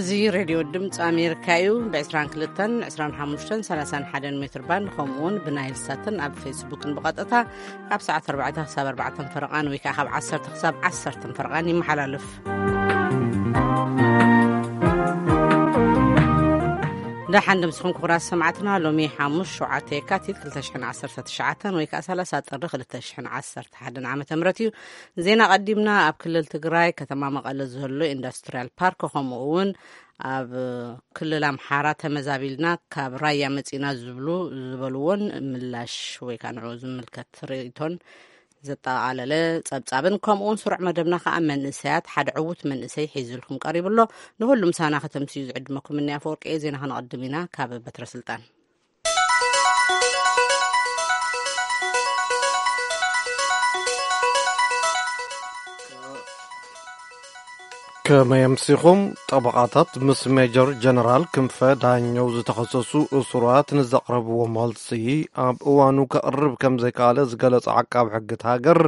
እዚ ሬድዮ ድምፂ ኣሜሪካ እዩ። ብ22፣ 25፣ 31 ሜትር ባንድ፣ ከምኡ እውን ብናይል ሳትን ኣብ ፌስቡክን ብቐጥታ ካብ ሰዓት ኣርባዕተ ክሳብ ኣርባዕተ ፈረቓን ወይ ከዓ ካብ ዓሰርተ ክሳብ ዓሰርተ ፈረቓን ይመሓላለፍ። ደሓን ድምፅኹም ክቡራት ሰማዕትና። ሎሚ ሓሙስ ሸውዓተ የካቲት ክልተ ሽሕን ዓሰርተ ትሽዓተን ወይ ከዓ ሰላሳ ጥሪ ክልተ ሽሕን ዓሰርተ ሓደን ዓመተ ምህረት እዩ። ዜና ቀዲምና። ኣብ ክልል ትግራይ ከተማ መቐለ ዘሎ ኢንዱስትሪያል ፓርክ ከምኡ እውን ኣብ ክልል ኣምሓራ ተመዛቢልና ካብ ራያ መፂና ዝብሉ ዝበልዎን ምላሽ ወይ ከዓ ንዕኡ ዝምልከት ርእይቶን ዘጠቓለለ ጸብጻብን ከምኡ እውን ስሩዕ መደብና ከዓ መንእሰያት ሓደ ዕዉት መንእሰይ ሒዝልኩም ቀሪቡ ኣሎ። ንሁሉም ሳና ከተምስዩ ዝዕድመኩም እኒ ኣፈወርቂ እየ። ዜና ከነቐድም ኢና። ካብ በትረ ስልጣን ከመይ ኣምሲኹም? ጠበቓታት ምስ ሜጀር ጀነራል ክንፈ ዳኘው ዝተኸሰሱ እሱራት ንዘቕረብዎ መልሲ ኣብ እዋኑ ከቕርብ ከም ዘይከኣለ ዝገለጸ ዓቃብ ሕጊ እቲ ሃገር፣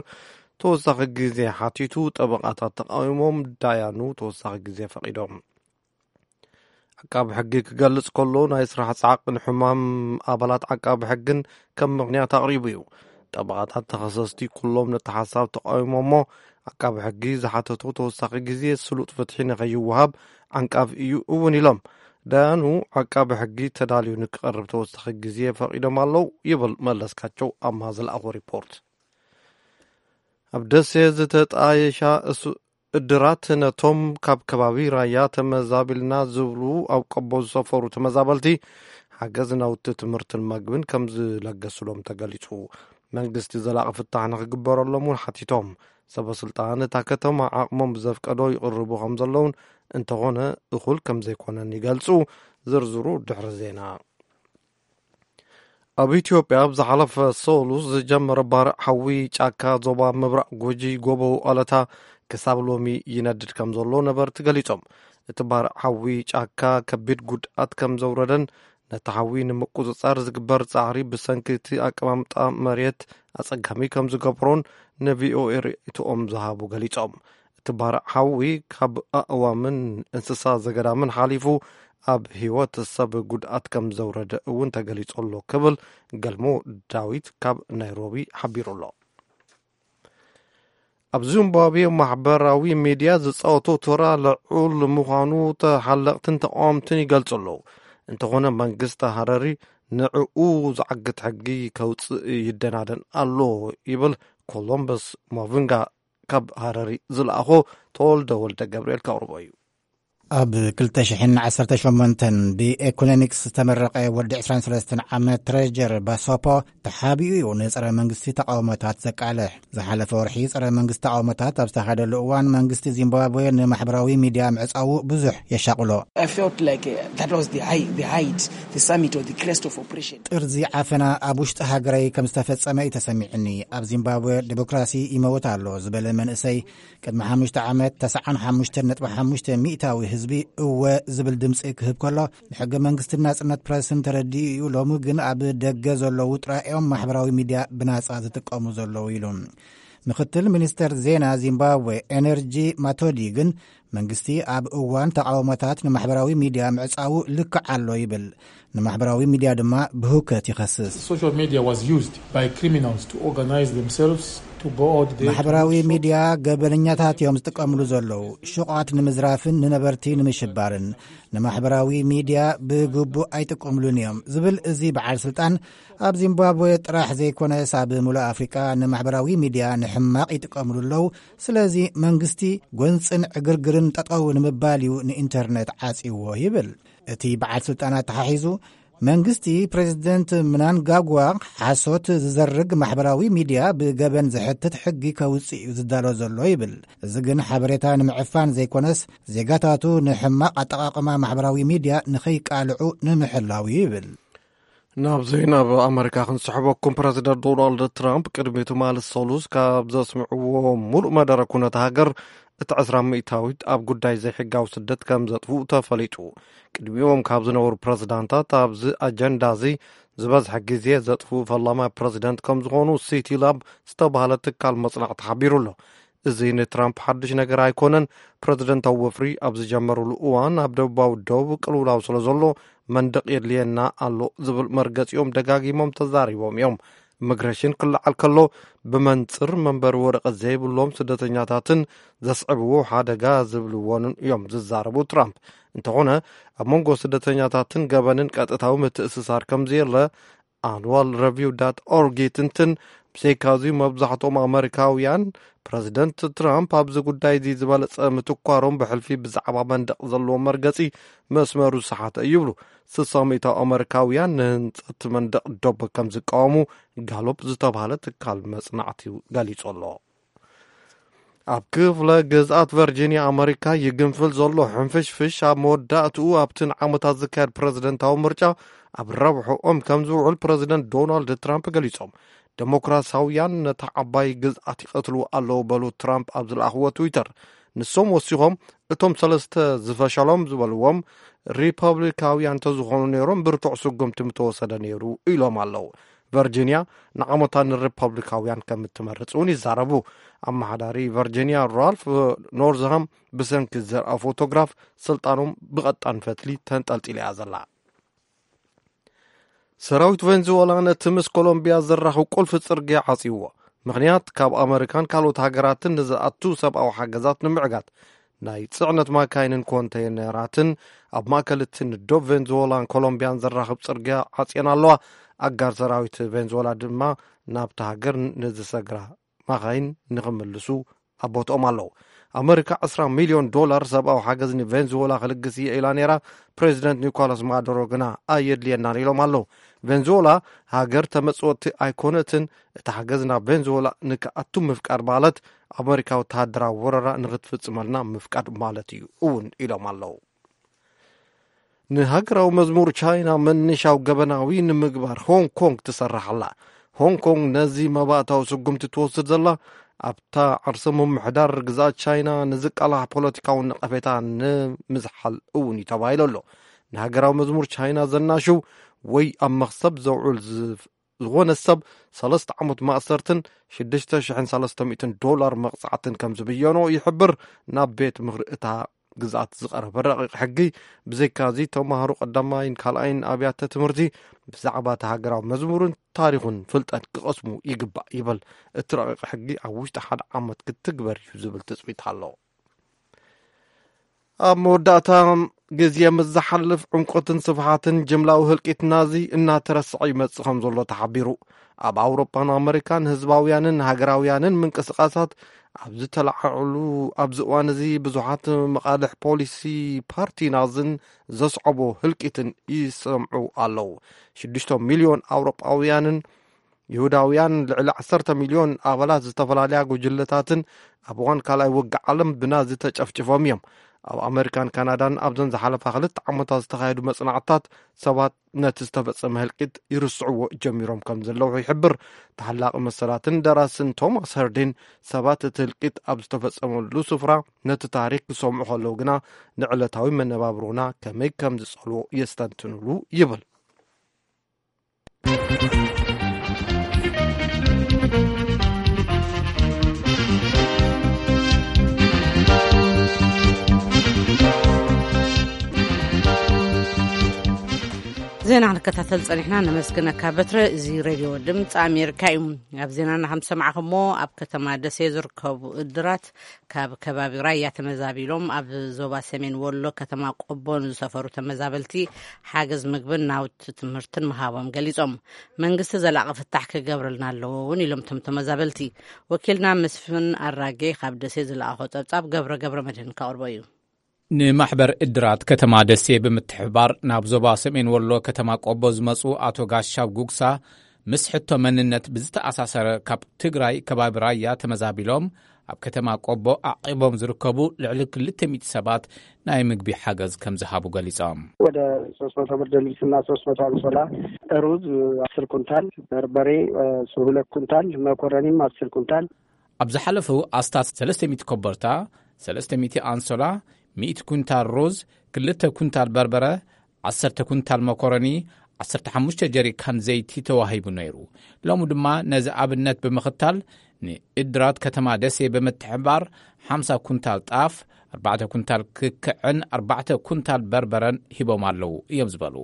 ተወሳኺ ግዜ ሓቲቱ፣ ጠበቓታት ተቃዊሞም፣ ዳያኑ ተወሳኺ ግዜ ፈቒዶም። ዓቃብ ሕጊ ክገልጽ ከሎ፣ ናይ ስራሕ ጻዕቂ ንሕማም ኣባላት ዓቃብ ሕግን ከም ምኽንያት ኣቕሪቡ እዩ። ጠበቓታት ተኸሰስቲ ኩሎም ነቲ ሓሳብ ተቃዊሞሞ፣ ዓቃብ ሕጊ ዝሓተቶ ተወሳኺ ግዜ ስሉጥ ፍትሒ ንኸይወሃብ ዓንቃፍ እዩ እውን ኢሎም። ዳያኑ ዓቃብ ሕጊ ተዳልዩ ንክቐርብ ተወሳኺ ግዜ ፈቒዶም ኣለዉ ይብል መለስካቸው ኣማ ዝለኣኾ ሪፖርት። ኣብ ደሴ ዝተጣየሻ እሱ-፣ እድራት ነቶም ካብ ከባቢ ራያ ተመዛቢልና ዝብሉ ኣብ ቆቦ ዝሰፈሩ ተመዛበልቲ ሓገዝ ናውቲ ትምህርትን መግብን ከም ዝለገስሎም ተገሊጹ። መንግስቲ ዘላቒ ፍታሕ ንክግበረሎም እውን ሓቲቶም። ሰበ ስልጣን እታ ከተማ ዓቕሞም ብዘፍቀዶ ይቕርቡ ከም ዘለውን፣ እንተኾነ እኹል ከም ዘይኮነን ይገልጹ። ዝርዝሩ ድሕሪ ዜና። ኣብ ኢትዮጵያ ኣብ ዝሓለፈ ሰሉስ ዝጀመረ ባርዕ ሓዊ ጫካ ዞባ ምብራቕ ጉጂ ጎቦ ኣለታ ክሳብ ሎሚ ይነድድ ከም ዘሎ ነበርቲ ገሊጾም። እቲ ባርዕ ሓዊ ጫካ ከቢድ ጉድኣት ከም ዘውረደን ነቲ ሓዊ ንምቁጽጻር ዝግበር ጻዕሪ ብሰንኪ እቲ ኣቀማምጣ መሬት ኣጸጋሚ ከም ዝገብሮን ንቪኦኤ ርእይቶኦም ዝሃቡ ገሊጾም። እቲ ባርዕ ሓዊ ካብ ኣእዋምን እንስሳ ዘገዳምን ሓሊፉ ኣብ ህይወት ሰብ ጉድኣት ከም ዘውረደ እውን ተገሊጹ ኣሎ ክብል ገልሞ ዳዊት ካብ ናይሮቢ ሓቢሩ ኣሎ። ኣብ ዚምባብዌ ማሕበራዊ ሚድያ ዝጻወቶ ተራ ልዑል ምዃኑ ተሓለቕትን ተቃወምትን ይገልጹ ኣለዉ። እንተኾነ መንግስቲ ሃረሪ ንዕኡ ዝዓግት ሕጊ ከውጽእ ይደናደን ኣሎ ይብል ኮሎምበስ ማቪንጋ ካብ ሃረሪ ዝለኣኾ ተወልደ ወልደ ገብርኤል ከቕርቦ እዩ። ኣብ ክልተ ሽሕን ዓሰርተ ሸሞንተን ብኤኮኖሚክስ ዝተመረቐ ወዲ ዕስራን ሰለስተን ዓመት ትሬጀር ባሶፖ ተሓቢኡ እዩ ንጸረ መንግስቲ ተቃውሞታት ዘቃልሕ። ዝሓለፈ ወርሒ ጸረ መንግስቲ ተቃውሞታት ኣብ ዝተኻየደሉ እዋን መንግስቲ ዚምባብዌ ንማሕበራዊ ሚድያ ምዕጻዉ ብዙሕ የሻቕሎ። I felt like, uh, that was the high, the height, the summit or the crest of oppression. ጥርዚ ዓፈና ኣብ ውሽጢ ሃገረይ ከም ዝተፈጸመ እዩ ተሰሚዕኒ። ኣብ ዚምባብዌ ዲሞክራሲ ይመውት ኣሎ ዝበለ መንእሰይ ቅድሚ ሓሙሽተ ዓመት ተስዓን ሓሙሽተን ነጥቢ ሓሙሽተ ሚእታዊ ህዝቢ እወ ዝብል ድምፂ ክህብ ከሎ፣ ንሕገ መንግስትን ናፅነት ፕረስን ተረዲኡ እዩ። ሎሚ ግን ኣብ ደገ ዘለዉ ጥራይ እዮም ማሕበራዊ ሚድያ ብናፃ ዝጥቀሙ ዘለዉ ኢሉ። ምክትል ሚኒስተር ዜና ዚምባብዌ ኤነርጂ ማቶዲ ግን መንግስቲ ኣብ እዋን ተቃውሞታት ንማሕበራዊ ሚድያ ምዕጻዉ ልክዕ ኣሎ ይብል። ንማሕበራዊ ሚድያ ድማ ብህውከት ይኸስስ። Social media was used by criminals to organize themselves to go out there to ማሕበራዊ loot for ሚድያ ገበነኛታት እዮም ዝጥቀምሉ ዘለዉ። ሽቋት ንምዝራፍን ንነበርቲ ንምሽባርን ንማሕበራዊ ሚድያ ብግቡእ ኣይጥቀምሉን እዮም ዝብል እዚ በዓል ስልጣን፣ ኣብ ዚምባብዌ ጥራሕ ዘይኮነስ ኣብ ሙሉእ ኣፍሪቃ ንማሕበራዊ ሚድያ ንሕማቕ ይጥቀምሉ ኣለዉ። ስለዚ መንግስቲ ጎንፅን ዕግርግርን ጠጠው ንምባል እዩ ንኢንተርነት ዓጽይዎ ይብል። እቲ በዓል ስልጣን ኣተሓሒዙ፣ መንግስቲ ፕሬዚደንት ምናንጋጓ ሓሶት ዝዘርግ ማሕበራዊ ሚድያ ብገበን ዝሕትት ሕጊ ከውፅእ እዩ ዝዳሎ ዘሎ ይብል። እዚ ግን ሓበሬታ ንምዕፋን ዘይኮነስ ዜጋታቱ ንሕማቕ ኣጠቓቕማ ማሕበራዊ ሚድያ ንኸይቃልዑ ንምሕላው እዩ ይብል። ናብ ዜና ኣብ ኣመሪካ ክንስሕበኩም፣ ፕረዚደንት ዶናልድ ትራምፕ ቅድሚ ትማሊ ሰሉስ ካብ ዘስምዕዎ ሙሉእ መደረ ኩነት ሃገር እቲ ዕስራ ሚእታዊት ኣብ ጉዳይ ዘይሕጋዊ ስደት ከም ዘጥፍኡ ተፈሊጡ። ቅድሚኦም ካብ ዝነበሩ ፕረዚዳንታት ኣብዚ ኣጀንዳ እዚ ዝበዝሐ ግዜ ዘጥፍኡ ፈላማይ ፕረዚደንት ከም ዝኾኑ ሲቲ ላብ ዝተባህለ ትካል መጽናዕቲ ሓቢሩ ኣሎ። እዚ ንትራምፕ ሓድሽ ነገር ኣይኮነን። ፕረዚደንታዊ ወፍሪ ኣብ ዝጀመሩሉ እዋን ኣብ ደቡባዊ ዶብ ቅልውላው ስለ ዘሎ መንደቕ የድልየና ኣሎ ዝብል መርገጺኦም ደጋጊሞም ተዛሪቦም እዮም። ኢሚግሬሽን ክለዓል ከሎ ብመንጽር መንበሪ ወረቐት ዘይብሎም ስደተኛታትን ዘስዕብዎ ሓደጋ ዝብልዎን እዮም ዝዛረቡ ትራምፕ። እንተኾነ ኣብ መንጎ ስደተኛታትን ገበንን ቀጥታዊ ምትእስሳር ከም ዘየለ ኣንዋል ረቪው ዳት ኦርግ ይትንትን። ብዘይካዚ መብዛሕትኦም ኣመሪካውያን ፕረዚደንት ትራምፕ ኣብዚ ጉዳይ እዚ ዝበለጸ ምትኳሮም ብሕልፊ ብዛዕባ መንደቕ ዘለዎ መርገጺ መስመሩ ዝሰሓተ እዩ ይብሉ። ስሳ ሚእታዊ ኣመሪካውያን ንህንጸት መንደቕ ዶብ ከም ዝቃወሙ ጋሎፕ ዝተባህለ ትካል መጽናዕቲ ገሊጹ ኣሎ። ኣብ ክፍለ ግዝኣት ቨርጂኒያ ኣመሪካ ይግንፍል ዘሎ ሕንፍሽፍሽ ኣብ መወዳእትኡ ኣብቲ ንዓመታት ዝካየድ ፕረዚደንታዊ ምርጫ ኣብ ረብሕኦም ከም ዝውዕል ፕረዚደንት ዶናልድ ትራምፕ ገሊጾም። ዴሞክራሲያውያን ነታ ዓባይ ግዝኣት ይቐትልዎ ኣለዉ በሉ ትራምፕ ኣብ ዝለኣኽዎ ትዊተር። ንሶም ወሲኾም እቶም ሰለስተ ዝፈሸሎም ዝበልዎም ሪፐብሊካውያን እንተዝኾኑ ነይሮም ብርቱዕ ስጉምቲ ምተወሰደ ነይሩ ኢሎም ኣለዉ። ቨርጂኒያ ንዓመታ ንሪፐብሊካውያን ከም እትመርጽ እውን ይዛረቡ። ኣመሓዳሪ ቨርጂኒያ ራልፍ ኖርዝሃም ብሰንኪ ዘርኣ ፎቶግራፍ ስልጣኖም ብቐጣን ፈትሊ ተንጠልጢላ እያ ዘላ። ሰራዊት ቬንዙዌላ ነቲ ምስ ኮሎምቢያ ዘራኽብ ቁልፊ ጽርግያ ዓጽይዎ። ምኽንያት ካብ ኣመሪካን ካልኦት ሃገራትን ንዝኣቱ ሰብኣዊ ሓገዛት ንምዕጋት ናይ ጽዕነት ማካይንን ኮንተይነራትን ኣብ ማእከል እቲ ንዶብ ቬንዙዌላን ኮሎምቢያን ዘራኽብ ጽርግያ ዓጽየን ኣለዋ። ኣጋር ሰራዊት ቬንዙዌላ ድማ ናብቲ ሃገር ንዝሰግራ ማኻይን ንኽምልሱ ኣብ ቦትኦም ኣለዉ። ኣመሪካ ዕስራ ሚልዮን ዶላር ሰብኣዊ ሓገዝ ንቬንዙዌላ ክልግስ እየ ኢላ ነይራ። ፕሬዚደንት ኒኮላስ ማዱሮ ግና ኣየድልየናን ኢሎም ኣለዉ። ቬንዙዌላ ሃገር ተመጽወቲ ኣይኮነትን። እቲ ሓገዝ ናብ ቬንዙዌላ ንክኣቱ ምፍቃድ ማለት ኣመሪካ ወተሃደራዊ ወረራ ንክትፍጽመልና ምፍቃድ ማለት እዩ እውን ኢሎም ኣለዉ። ንሃገራዊ መዝሙር ቻይና መነሻው ገበናዊ ንምግባር ሆንግ ኮንግ ትሰርሕ ኣላ። ሆንግ ኮንግ ነዚ መባእታዊ ስጉምቲ ትወስድ ዘላ ኣብታ ዓርሰ ምምሕዳር ግዝኣት ቻይና ንዝቃላሕ ፖለቲካዊ ነቐፌታ ንምዝሓል እውን እዩ ተባሂሉ ኣሎ። ንሃገራዊ መዝሙር ቻይና ዘናሽው ወይ ኣብ መኽሰብ ዘውዕል ዝፍ-፣ ዝኾነ ሰብ ሰለስተ ዓመት ማእሰርትን ሽዱሽተ ሽሕን ሰለስተ ሚእትን ዶላር መቕጻዕትን ከም ዝብየኖ ይሕብር። ናብ ቤት ምኽሪ እታ ግዝኣት ዝቐረበ ረቂቕ ሕጊ። ብዘይካዚ ተማሃሮ ቀዳማይን ካልኣይን ኣብያተ ትምህርቲ ብዛዕባ እቲ ሃገራዊ መዝሙርን ታሪኹን ፍልጠት ክቐስሙ ይግባእ ይብል። እቲ ረቂቕ ሕጊ ኣብ ውሽጢ ሓደ ዓመት ክትግበር እዩ ዝብል ትጽቢት ኣሎ። ኣብ መወዳእታ ግዜ ምስ ዝሓልፍ ዕምቆትን ስፍሓትን ጅምላዊ ህልቂት ናዚ እናተረስዐ ይመጽእ ከም ዘሎ ተሓቢሩ። ኣብ ኣውሮጳን ኣመሪካን ህዝባውያንን ሃገራውያንን ምንቅስቃሳት ኣብ ዝተለዓዕሉ ኣብዚ እዋን እዚ ብዙሓት መቓልሕ ፖሊሲ ፓርቲ ናዝን ዘስዐቦ ህልቂትን ይሰምዑ ኣለዉ። ሽዱሽተ ሚልዮን ኣውሮጳውያንን ይሁዳውያን ልዕሊ ዓሰርተ ሚልዮን ኣባላት ዝተፈላለያ ጉጅለታትን ኣብ እዋን ካልኣይ ውግእ ዓለም ብናዚ ተጨፍጭፎም እዮም። ኣብ ኣመሪካን ካናዳን ኣብዘን ዝሓለፋ ክልተ ዓመታት ዝተኻየዱ መጽናዕትታት ሰባት ነቲ ዝተፈጸመ ህልቂት ይርስዕዎ ጀሚሮም ከም ዘለዉ ይሕብር። ተሓላቒ መሰላትን ደራስን ቶማስ ሀርዲን ሰባት እቲ ህልቂት ኣብ ዝተፈጸመሉ ስፍራ ነቲ ታሪኽ ክሰምዑ ከለዉ ግና ንዕለታዊ መነባብሮና ከመይ ከም ዝጸልዎ የስተንትኑሉ ይብል። ዜና ክንከታተል ጸኒሕና፣ ነመስግነካ በትረ። እዚ ሬድዮ ድምፂ ኣሜሪካ እዩ። ኣብ ዜናና ከም ዝሰማዕኹሞ፣ ኣብ ከተማ ደሴ ዝርከቡ እድራት ካብ ከባቢ ራያ ተመዛቢሎም ኣብ ዞባ ሰሜን ወሎ ከተማ ቆቦ ንዝሰፈሩ ተመዛበልቲ ሓገዝ ምግብን ናውቲ ትምህርትን ምሃቦም ገሊጾም። መንግስቲ ዘላቒ ፍታሕ ክገብረልና ኣለዎ እውን ኢሎም እቶም ተመዛበልቲ። ወኪልና መስፍን ኣራጌ ካብ ደሴ ዝለኣኾ ጸብጻብ ገብረ ገብረ መድህን ከቕርቦ እዩ። ንማሕበር እድራት ከተማ ደሴ ብምትሕብባር ናብ ዞባ ሰሜን ወሎ ከተማ ቆቦ ዝመጹ ኣቶ ጋሻው ጉግሳ፣ ምስ ሕቶ መንነት ብዝተኣሳሰረ ካብ ትግራይ ከባቢ ራያ ተመዛቢሎም ኣብ ከተማ ቆቦ ኣዕቂቦም ዝርከቡ ልዕሊ ክልተ ሚእቲ ሰባት ናይ ምግቢ ሓገዝ ከም ዝሃቡ ገሊጾም። ወደ ሶስት መቶ ብርድ ልብስና ሶስት መቶ ኣንሶላ፣ ሩዝ አስር ኩንታል፣ በርበሬ፣ እ፣ ሁለት ኩንታል፣ መኮረኒም አስር ኩንታል። ኣብ ዝሓለፉ ኣስታት ሰለስተ ሚእቲ ኮበርታ፣ ሰለስተ ሚእቲ ኣንሶላ፣ ሚእቲ ኩንታል ሩዝ፣ ክልተ ኩንታል በርበረ፣ ዓሰርተ ኩንታል መኮረኒ፣ ዓሰርተ ሓሙሽተ ጀሪካን ዘይቲ ተዋሂቡ ነይሩ። ሎሚ ድማ ነዚ ኣብነት ብምኽታል ንእድራት ከተማ ደሴ ብምትሕባር ሓምሳ ኩንታል ጣፍ፣ ኣርባዕተ ኩንታል ክክዕን ኣርባዕተ ኩንታል በርበረን ሂቦም ኣለዉ እዮም ዝበሉ።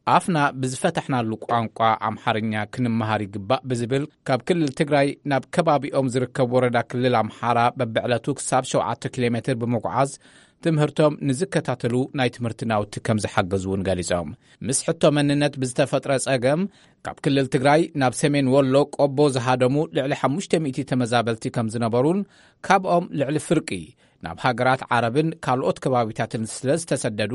ኣፍና ብዝፈታሕናሉ ቋንቋ ኣምሓርኛ ክንመሃር ይግባእ ብዝብል ካብ ክልል ትግራይ ናብ ከባቢኦም ዝርከብ ወረዳ ክልል ኣምሓራ በብዕለቱ ክሳብ ሸውዓተ ኪሎ ሜትር ብምጉዓዝ ትምህርቶም ንዝከታተሉ ናይ ትምህርቲ ናውቲ ከም ዝሓገዙ እውን ገሊጾም። ምስ ሕቶ መንነት ብዝተፈጥረ ጸገም ካብ ክልል ትግራይ ናብ ሰሜን ወሎ ቆቦ ዝሃደሙ ልዕሊ ሓሙሽተ ሚእቲ ተመዛበልቲ ከም ዝነበሩን ካብኦም ልዕሊ ፍርቂ ናብ ሃገራት ዓረብን ካልኦት ከባቢታትን ስለ ዝተሰደዱ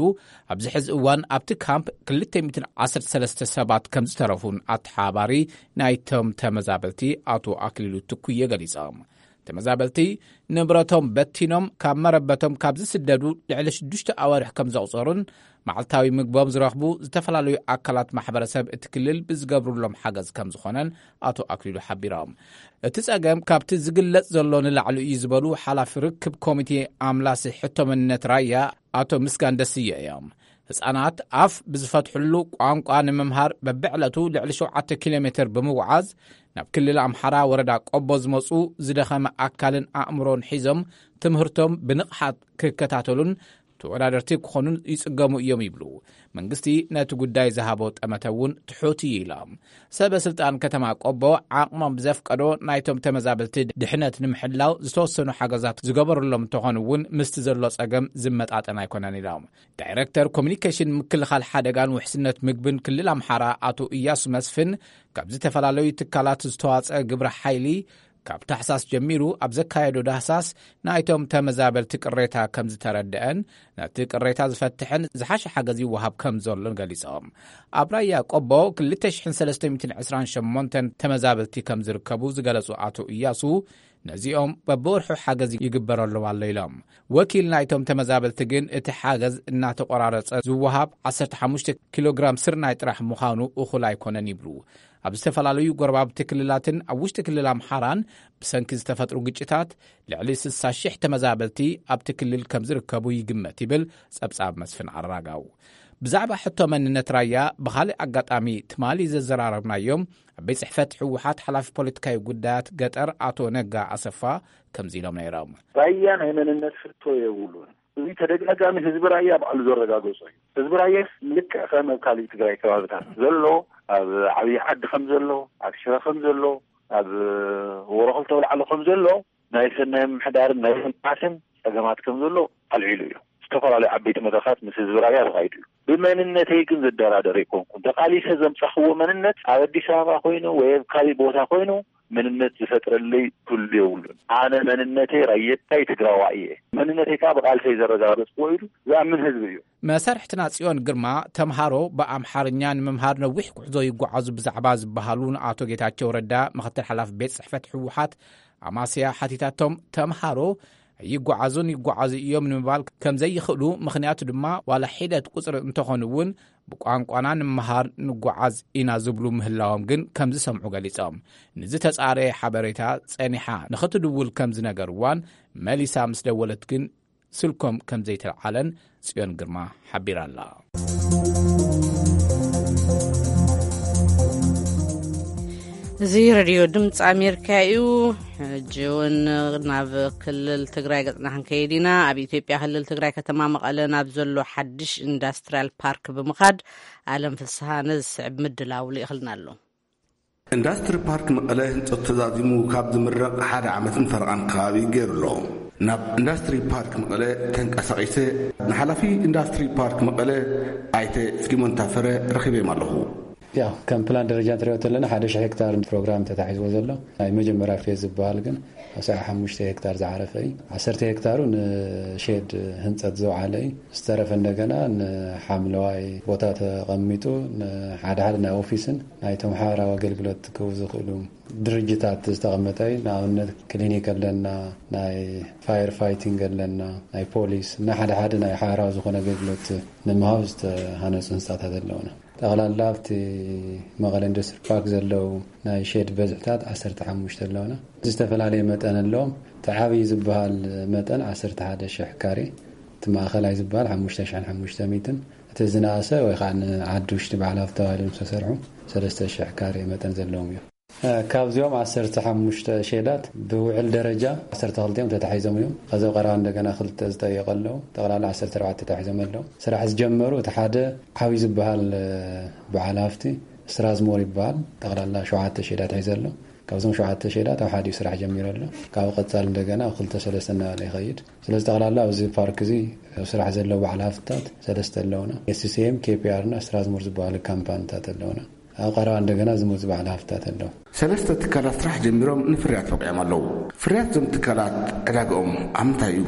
ኣብዚ ሕዚ እዋን ኣብቲ ካምፕ ክልተ ሚእትን ዓሰርተ ሰለስተ ሰባት ከም ዝተረፉን ኣተሓባሪ ናይቶም ተመዛበልቲ ኣቶ ኣክሊሉ ትኩየ ገሊጾም። ተመዛበልቲ ንብረቶም በቲኖም ካብ መረበቶም ካብ ዝስደዱ ልዕሊ ሽዱሽተ ኣዋርሕ ከም ዘቑጸሩን መዓልታዊ ምግቦም ዝረኽቡ ዝተፈላለዩ ኣካላት ማሕበረሰብ እቲ ክልል ብዝገብሩሎም ሓገዝ ከም ዝኾነን ኣቶ ኣክሊሉ ሓቢሮም። እቲ ጸገም ካብቲ ዝግለጽ ዘሎ ንላዕሊ እዩ ዝበሉ ሓላፊ ርክብ ኮሚቴ ኣምላሲ ሕቶ መንነት ራያ ኣቶ ምስጋን ደስየ እዮም። ህጻናት ኣፍ ብዝፈትሕሉ ቋንቋ ንምምሃር በብዕለቱ ልዕሊ ሸውዓተ ኪሎ ሜትር ብምጉዓዝ ናብ ክልል ኣምሓራ ወረዳ ቆቦ ዝመጹ ዝደኸመ ኣካልን ኣእምሮን ሒዞም ትምህርቶም ብንቕሓት ክከታተሉን ተወዳደርቲ ክኾኑን ይጽገሙ እዮም ይብሉ። መንግስቲ ነቲ ጉዳይ ዝሃቦ ጠመተ እውን ትሑት እዩ ኢሎም። ሰበ ስልጣን ከተማ ቆቦ ዓቕሞም ብዘፍቀዶ ናይቶም ተመዛበልቲ ድሕነት ንምሕላው ዝተወሰኑ ሓገዛት ዝገበሩሎም እንተኾኑ እውን ምስቲ ዘሎ ጸገም ዝመጣጠን ኣይኮነን ኢሎም። ዳይረክተር ኮሚኒኬሽን ምክልኻል ሓደጋን ውሕስነት ምግብን ክልል ኣምሓራ ኣቶ እያሱ መስፍን ካብ ዝተፈላለዩ ትካላት ዝተዋጸ ግብረ ሓይሊ ካብ ታሕሳስ ጀሚሩ ኣብ ዘካየዶ ዳህሳስ ናይቶም ተመዛበልቲ ቅሬታ ከም ዝተረድአን ነቲ ቅሬታ ዝፈትሕን ዝሓሸ ሓገዝ ይወሃብ ከም ዘሎን ገሊጾም። ኣብ ራያ ቆቦ ክልተ ሽሕን ሰለስተ ሚእትን ዕስራን ሸሞንተን ተመዛበልቲ ከም ዝርከቡ ዝገለጹ ኣቶ እያሱ ነዚኦም በብወርሑ ሓገዝ ይግበረሎም ኣሎ ኢሎም። ወኪል ናይቶም ተመዛበልቲ ግን እቲ ሓገዝ እናተቆራረጸ ዝወሃብ ዓሰርተ ሓሙሽተ ኪሎ ግራም ስርናይ ጥራሕ ምዃኑ እኹል ኣይኮነን ይብሉ። ኣብ ዝተፈላለዩ ጎረባብቲ ክልላትን ኣብ ውሽጢ ክልል ኣምሓራን ብሰንኪ ዝተፈጥሩ ግጭታት ልዕሊ ስሳ ሺሕ ተመዛበልቲ ኣብቲ ክልል ከም ዝርከቡ ይግመት ይብል ጸብጻብ መስፍን ኣራጋው። ብዛዕባ ሕቶ መንነት ራያ ብኻልእ ኣጋጣሚ ትማሊ ዘዘራረብናዮም ኣብ ቤት ጽሕፈት ህወሓት ሓላፊ ፖለቲካዊ ጉዳያት ገጠር ኣቶ ነጋ ኣሰፋ ከምዚ ኢሎም ነይሮም። ራያ ናይ መንነት ሕቶ የብሉን። እዚ ተደጋጋሚ ህዝቢ ራያ ባዕሉ ዘረጋገጾ እዩ። ህዝቢ ራያ ልክዕ ከም ኣብ ካልእ ትግራይ ከባብታት ዘሎ፣ ኣብ ዓብዪ ዓዲ ከም ዘሎ፣ ኣብ ሽረ ከም ዘሎ፣ ኣብ ወሮ ክልተ ኣውላዕሎ ከም ዘሎ ናይ ሰናይ ምምሕዳርን ናይ ልምዓትን ጸገማት ከም ዘሎ ኣልዒሉ እዩ። ዝተፈላለዩ ዓበይቲ መድረኻት ምስ ህዝቢ ራያ ተኻይዱ እዩ። ብመንነተይ ግን ዝደራደር ኣይኮንኩን። ተቓሊሰ ዘምጻኽዎ መንነት ኣብ ኣዲስ ኣበባ ኮይኑ ወይ ኣብ ካልእ ቦታ ኮይኑ መንነት ዝፈጥረለይ ክህሉ የብሉን። ኣነ መንነተይ ራየታይ ትግራዋይ እየ። መንነተይ ከዓ ብቓልሰይ ዘረጋገጽክዎ ኢሉ ዝኣምን ህዝቢ እዩ። መሳርሕትና ጽዮን ግርማ ተምሃሮ ብኣምሓርኛ ንምምሃር ነዊሕ ጉዕዞ ይጓዓዙ ብዛዕባ ዝበሃሉ ንኣቶ ጌታቸው ረዳ ምክትል ሓላፊ ቤት ጽሕፈት ህወሓት ኣማስያ ሓቲታቶም። ተምሃሮ ይጓዓዙን ይጓዓዙ እዮም ንምባል ከም ዘይኽእሉ፣ ምኽንያቱ ድማ ዋላ ሒደት ቁጽሪ እንተኾኑ እውን ብቋንቋና ንምሃር ንጓዓዝ ኢና ዝብሉ ምህላዎም ግን ከም ዝሰምዑ ገሊጾም። ንዝተጻረየ ሓበሬታ ጸኒሓ ንኽትድውል ከም ዝነገርዋን መሊሳ ምስ ደወለት ግን ስልኮም ከም ዘይተልዓለን ጽዮን ግርማ ሓቢራ ኣላ። እዚ ሬድዮ ድምፂ ኣሜሪካ እዩ። ሕጂ እውን ናብ ክልል ትግራይ ገፅና ክንከይድ ኢና። ኣብ ኢትዮጵያ ክልል ትግራይ ከተማ መቐለ ናብ ዘሎ ሓድሽ ኢንዳስትሪያል ፓርክ ብምኻድ ኣለም ፍስሃ ነዚ ዝስዕብ ምድላው ልኢኽልና ኣሎ። ኢንዳስትሪ ፓርክ መቐለ ህንፀቱ ተዛዚሙ ካብ ዝምረቕ ሓደ ዓመትን ፈረቓን ከባቢ ገይሩ ኣሎ። ናብ ኢንዳስትሪ ፓርክ መቐለ ተንቀሳቒሰ ንሓላፊ ኢንዳስትሪ ፓርክ መቐለ ኣይተ ፊሊሞን ታፈረ ረኺበዮም ኣለኹ። ያው ከም ፕላን ደረጃ እንትሪኦ ተለና ሓደ ሺሕ ሄክታር ፕሮግራም ተታሒዝዎ ዘሎ ናይ መጀመርያ ፌዝ ዝበሃል ግን ኣስራ ሓሙሽተ ሄክታር ዝዓረፈ እዩ። ዓሰርተ ሄክታሩ ንሼድ ህንፀት ዝወዓለ እዩ። ዝተረፈ እንደገና ንሓምለዋይ ቦታ ተቐሚጡ ንሓደ ሓደ ናይ ኦፊስን ናይ ተምሃራዊ ኣገልግሎት ክህቡ ዝኽእሉ ድርጅታት ዝተቐመጠ እዩ። ንኣብነት ክሊኒክ ኣለና፣ ናይ ፋየር ፋይቲንግ ኣለና፣ ናይ ፖሊስ እና ሓደ ሓደ ናይ ሓራዊ ዝኾነ ኣገልግሎት ንምሃብ ዝተሃነፁ ህንፃታት ኣለውና። ጠቕላላ ኣብቲ መቐለ ኢንዱስትሪ ፓርክ ዘለዉ ናይ ሼድ በዝሕታት ዓሰርተ ሓሙሽተ ኣለውና። ዝተፈላለየ መጠን ኣለዎም። እቲ ዓብዪ ዝበሃል መጠን ዓሰርተ ሓደ ሽሕ ካሬ፣ እቲ ማእኸላይ ዝበሃል ሓሙሽተ ሽሕን ሓሙሽተ ሚእትን፣ እቲ ዝነኣሰ ወይ ከዓ ንዓዲ ውሽጢ በዓል ሃፍቲ ተባሂሎም ዝተሰርሑ ሰለስተ ሽሕ ካሬ መጠን ዘለዎም እዮም። ካብዚኦም ዓሰርተ ሓሙሽተ ሼዳት ብውዕል ደረጃ ዓሰርተ ክልተ ተታሒዞም እዮም። ካብዚ ቀረባ እንደገና ክልተ ዝጠየቀ ኣለዉ። ጠቕላላ ዓሰርተ ኣርባዕተ ተታሒዞም ኣለዉ። ስራሕ ዝጀመሩ እቲ ሓደ ዓብዪ ዝበሃል በዓል ሃፍቲ ስትራዝሞር ይበሃል። ጠቕላላ ሸውዓተ ሼዳት ሒዘ ኣሎ። ካብዞም ሸውዓተ ሼዳት ኣብ ሓዲኡ ስራሕ ጀሚሩ ኣሎ። ካብ ቀጻሊ እንደገና ኣብ ክልተ ሰለስተ እናበለ ይኸይድ። ስለዚ ጠቕላላ ኣብዚ ፓርክ እዚ ኣብ ስራሕ ዘለዉ በዓል ሃፍትታት ሰለስተ ኣለዉና። ኤስሲኤም፣ ኬፒኣር እና ስትራዝሞር ዝበሃሉ ካምፓኒታት ኣለዉና። ኣብ ቀረባ እንደገና ዝመፁ በዓል ሃፍትታት ኣለዉ። ሰለስተ ትካላት ስራሕ ጀሚሮም ንፍርያት በቂዖም ኣለዉ። ፍርያት እዞም ትካላት ዕዳግኦም ኣብ ምንታይ እዩ?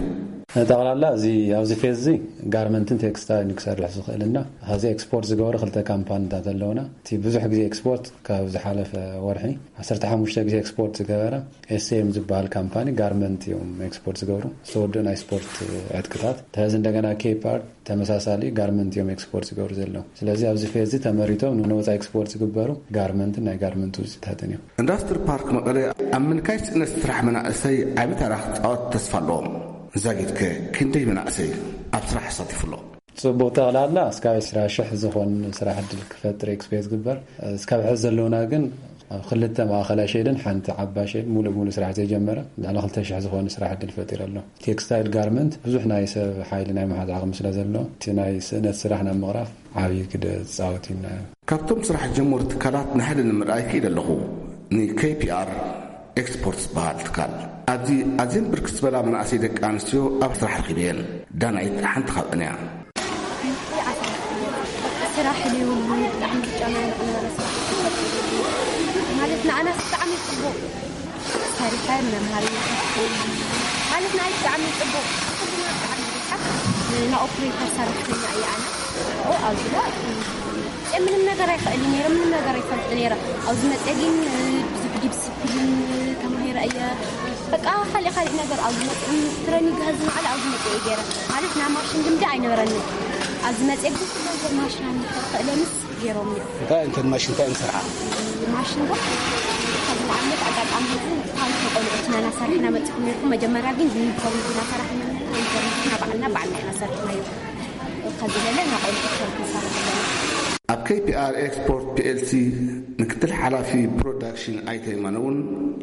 ጠቕላላ እዚ ኣብዚ ፌዝ እዚ ጋርመንትን ቴክስታይልን ክሰርሕ ዝኽእል እና ኸዚ ኤክስፖርት ዝገበሩ ክልተ ካምፓኒታት ኣለዉና። እቲ ብዙሕ ግዜ ኤክስፖርት ካብ ዝሓለፈ ወርሒ ዓሰርተ ሓሙሽተ ግዜ ኤክስፖርት ዝገበረ ኤስኤም ዝበሃል ካምፓኒ ጋርመንት እዮም ኤክስፖርት ዝገብሩ። ዝተወደኡ ናይ ስፖርት ዕጥቅታት ተዚ እንደገና ኬፕ ኣርት ተመሳሳሊ ጋርመንት እዮም ኤክስፖርት ዝገብሩ ዘለዉ። ስለዚ ኣብዚ ፌዝ እዚ ተመሪቶም ንወፃኢ ኤክስፖርት ዝግበሩ ጋርመንትን ናይ ጋርመንት ውፅኢታትን እዮም። ኢንዱስትሪ ፓርክ መቐለ ኣብ ምንካይ ስእነት ስራሕ መናእሰይ ዓቢ ተራ ክፃወት ተስፋ ኣለዎም። ዛጊትከ ክንደይ መናእሰይ ኣብ ስራሕ ኣሳቲፉ ኣሎ? ጽቡቕ፣ ጠቕላላ እስካብ ዕስራ ሽሕ ዝኾን ስራሕ ዕድል ክፈጥር ኤክስፔክት ዝግበር። እስካብ ሕዚ ዘለውና ግን ኣብ ክልተ ማእኸላይ ሼድን ሓንቲ ዓባይ ሼድ ሙሉእ ሙሉእ ስራሕ ዘይጀመረ ልዕሊ ክልተ ሽሕ ዝኾን ስራሕ ዕድል ፈጢሩ ኣሎ። ቴክስታይል ጋርመንት ብዙሕ ናይ ሰብ ሓይሊ ናይ መሓዝ ዓቕሚ ስለ ዘሎ እቲ ናይ ስእነት ስራሕ ናብ ምቕራፍ ዓብዪ ግደ ዝጻወት እዩ። ካብቶም ስራሕ ዝጀመሩ ትካላት ንሓደ ንምርኣይ ክኢለ ኣለኹ። ንኬፒኣር ኤክስፖርት ዝበሃል ትካል ኣብዚ ኣዝየን ብርክት ዝበላ መናእሰይ ደቂ ኣንስትዮ ኣብ ስራሕ ረኺበየን። ዳናይት ሓንቲ ካብአን እያ። ስራሕ ዘይብሉ ብጣዕሚ ዝጨናነቕ ነበረ። ስራሕ ማለት ንኣናስ ብጣዕሚ ጽቡቕ ሰሪሐ መምሃሪ ማለት ንኣይ ብጣዕሚ ጽቡቕ። ብጣዕሚ ብዙሓት ንኦፕሬተር ሰራሕተኛ እየ ኣነ። ኣብኡ ኣብዚ ምንም ነገር ኣይኽእልን ነይረ፣ ምንም ነገር ኣይፈልጥ ነይረ። ኣብዚ መፅየ ግን ብዙሕ ዲስፕሊን ተማሂረ እየ። በቃ ካልእ ካልእ ነገር ኣብዚ መፅየ ትረኒንግ ከዚ ንዓለ ኣብዚ መፅየ ገይረ ማለት ናይ ማሽን ልምዲ ኣይነበረንን። ኣብዚ መፅየ ግን ኩሉ ነገር ማሽን ክእለንስ ገይሮም እዮም። እንታይ እንተን ማሽን እንታይ እንሰርዓ? ማሽን ዶ ከዚ ንኣብነት ኣጋጣሚ ህዝቢ ታንክ ቆልዑት ኢና እናሰርሕና መፅኹም ነርኩም። መጀመርያ ግን ዩኒፎርም ኢና ሰራሕና፣ ዩኒፎርም ባዕልና ባዕልና ኢና ሰርሕናዮ። ከዚ ለለ ናቆልቁ ሰርክ ሰራሕና። ኣብ ኬፒኣር ኤክስፖርት ፒኤልሲ ምክትል ሓላፊ ፕሮዳክሽን ኣይተ የማነ እውን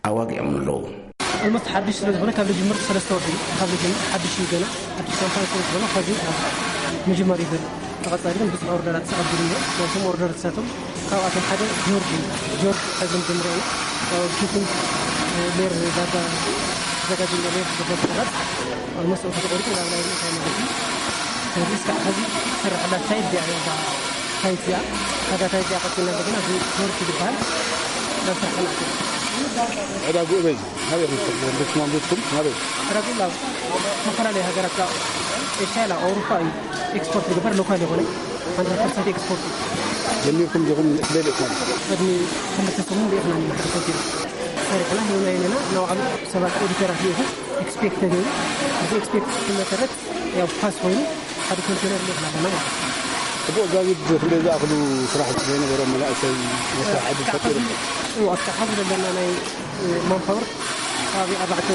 ኣዋጊዖም ኣለዉ። ኣልሞስት ሓድሽ ስለ ዝኾነ ካብ ዝጅምር ሰለስተ ወርሒ እዩ። ካብ ዝጅምር ሓድሽ እዩ፣ ገና ሓድሽ ካምፓኒ ስለ ዝኾነ ከዚ ምጅማር እዩ ዘሎ። ተቐጻሊ ግን ብዙሕ ኦርደራት ዝኣጉል እኒኦ። ናይቶም ኦርደር ዝሳቶም ካብኣቶም ሓደ ጆርጅ እዩ። ጆርጅ ካብ ዝምጀምሮ እዩ። ኪትን ሌር ዳታ ዘጋጅ ሌር ዝበሃል ኦልሞስት ተቆሪጡ ናብ ናይ እንታይ ማለት እዩ። ስለዚ እስካዕ ሕዚ ትሰርሐላ ሳይት እዚኣ እያ። እዛ ሳይት እዚኣ፣ እዛ ሳይት እዚኣ ቀፂልና እንደገና እዚ ጆርጅ ዝበሃል ናብ ስራሕ ክንኣቱ። ዕዳግኡ በይ፣ ናበይ ኢኹም ትኸዱ? ደስ ማንቡትኩም ናበይ? ዕዳግኡ ናብ ዝተፈላለዩ ሃገራት፣ ካብ ኤሽያ ናብ ኣውሮፓ እዩ ኤክስፖርት ዝግበር፣ ሎካል የኾነ፣ ሃንድረድ ፐርሰንት ኤክስፖርት እዩ። ጀሚርኩም ዲኹም ደሊእኩም? ቅድሚ ክልተ ሰሙን ርኢኽና ኢና፣ ሓደ ኮንቴነር ሰሪሕና ሂብና ኢና፣ ናባዕሉ ሰባት ኦዲተራት ልኢኹ፣ ኤክስፔክት ተገይሩ፣ እዚ ኤክስፔክት መሰረት ያው ፓስ ኮይኑ ሓደ ኮንቴነር ልኢኽና ኣለና ማለት እዩ። ጽቡቕ፣ ዛጊድ ክንደይ ዝኣኽሉ ስራሕ ዘይነበሮም መናእሰይ መስራሕ ዕድል ፈጢሩ? እዎ፣ እስካብ ሐዚ ዘለና ናይ ማንፓወር ከባቢ ኣርባዕተ